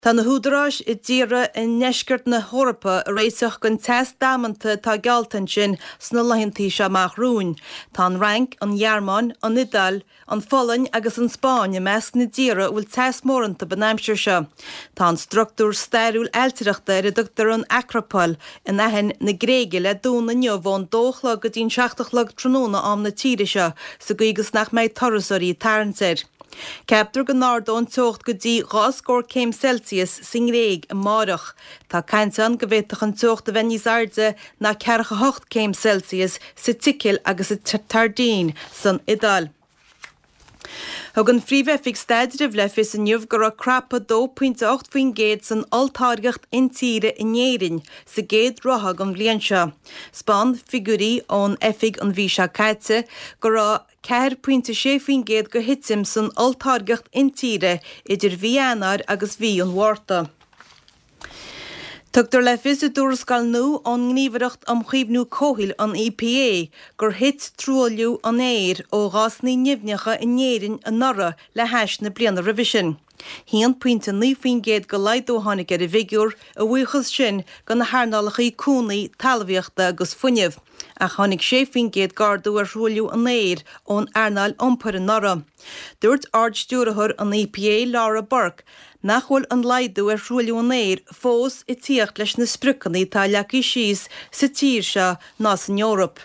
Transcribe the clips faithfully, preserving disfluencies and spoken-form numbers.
Tá na húdaráis i dtíortha i ndeisceart na hEorpa ag réiteach don teas damanta atá geallta ansin sna laethanta seo amach romhainn. Tá an Fhrainc, an Ghearmáin, an Iodáil, an Pholainn agus an Spáinn i measc na dtíortha a bhfuil teas mór iontu an aimsir seo. Tá an struchtúr stairiúil ailtireachta ar a dtugtar an Acrapail in Aithin na Gréige le dúnadh inniu ón dó a chlog go dtí'n seacht a chlog tráthnóna am na tíre seo sa gcaoi gus nach mbeidh turasóirí ag tarraingt air. Ceaptar go n-ardóidh an teocht go dtí dhá scór céim Celsius sa nGréig amáireach. Tá caint ann go bhféadfadh an teocht a bheith níos airde ná ceathracha hocht céim Celsius sa tSicil agus sa tSairdín san Iodáil. Thug an Phríomh-Oifig Staidrimh le fios inniu go raibh crapadh dó pointe ocht faoin gcéad san olltáirgeacht intíre in Éirinn sa gcéad ráithe den bhliain seo. 'Spáin figiúirí ón oifig an mhí seo caite go raibh ceathair pointe sé faoin gcéad de thitim san olltáirgeacht intíre idir mhí Eanáir agus mhí an Mhárta. Tugtar le fios i dtuarascáil nua ón nGníomhaireacht um Chaomhnú Comhshaoil, an EPA, gur thit truailliú an aeir ó ghásanna nimhneacha in Éirinn anuraidh le hais na bliana roimhe sin. haon pointe naoi faoin gcéad de laghdú a tháinig ar an bhfigiúr, a bhuíochas sin do na hearnálacha cónaí, talmhaíochta agus fuinnimh, ach tháinig sé faoin gcéad d'ardú ar thruailliú an aeir ón earnáil iompair anuraidh. Dúirt Ard-Stiúrthóir an EPA, Laura Burke, nach bhfuil an laghdú ar thruailliú an aeir fós ag tíocht leis na spriocanna atá leagtha síos sa tír seo ná san Eoraip.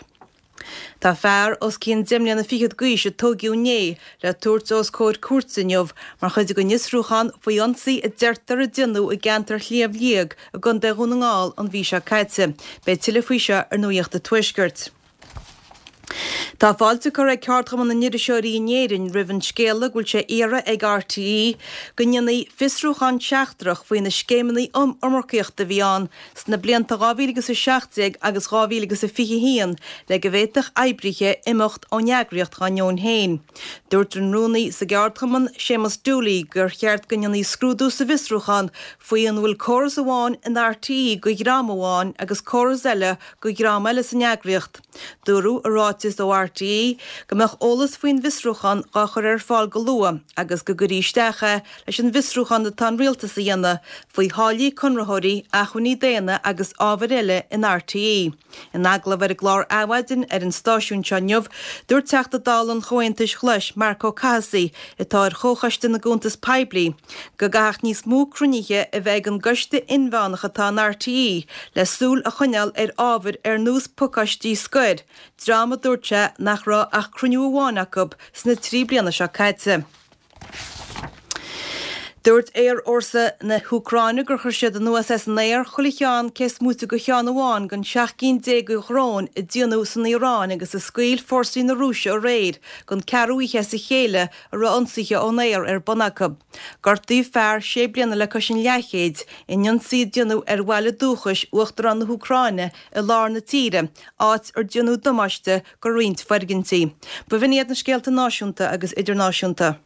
Tá fear os cionn deich mbliana fichead d'aois a tóigeadh inné le tabhairt os comhair cúirte inniu mar chuid den fhiosrúchán faoi ionsaí a deirtear a déanadh i gceantar Shliabh Liag i gContae Dhún na nGall an mhí seo caite. Beidh tuilleadh faoi seo ar Nuacht an Tuaiscirt. Tá fáilte curtha ag Ceardchumann na nIriseoirí in Éirinn roimh an scéala go bhfuil sé iarrtha ag RTÉ go ndéanfaí fiosrúchán seachtrach faoi na scéimeanna iomarcaíochta a bhí ann sna blianta dhá mhíle agus a seacht déag agus dhá mhíle agus a fiche haon le go bhféadfadh oibrithe imeacht ón eagraíocht dá ndeoin féin. Dúirt an rúnaí sa gceardchumann, Séamus Dooley, gur cheart go ndéanfaí scrúdú sa bhfiosrúchán faoi an bhfuil córas amháin in RTÉ do dhream amháin agus córas eile do dhream eile san eagraíocht. Dúradh i ráiteas ó RTÉ go mbeadh eolas faoin bhfiosrúchán dhá chur ar fáil go luath agus go gcuirfí isteach é leis an bhfiosrúchán atá an Rialtas a dhéanamh faoi tháillí conraitheoirí, acmhainní daonna agus ábhair eile in RTÉ. In agallamh ar an gclár Adhmhaidin ar an stáisiún seo inniu, dúirt Teachta Dála an Chomhaontais Ghlais, Marc Ó Cathasaigh, atá ar Chomhchoiste na gCuntas Poiblí, go gcaithfeadh níos mó cruinnithe a bheith ag an gcoiste inmheánach atá in RTÉ le súil a choinneáil ar ábhair ar nós pacáistí scoir, dream a dúirt sé nach raibh ach cruinniú amháin acu sna trí bliana seo caite. Dúirt Aerfhórsa na hÚcráine gur chuir siad anuas as an aer chuile cheann cé is móite de cheann amháin den seacht gcinn déag de dhróin a déanadh san Iaráin agus a scaoil fórsaí na Rúise aréir don ceathrú oíche as a chéile a raibh ionsaithe ón aer ar bun acu. Gortaíodh fear sé bliana le cois an leathchéid in ionsaí a déanadh ar bhaile dúchais Uachtarán na hÚcráine i lár na tíre, áit ar déanadh damáiste do roinnt foirgintí. B'in iad na scéalta náisiúnta agus idirnáisiúnta.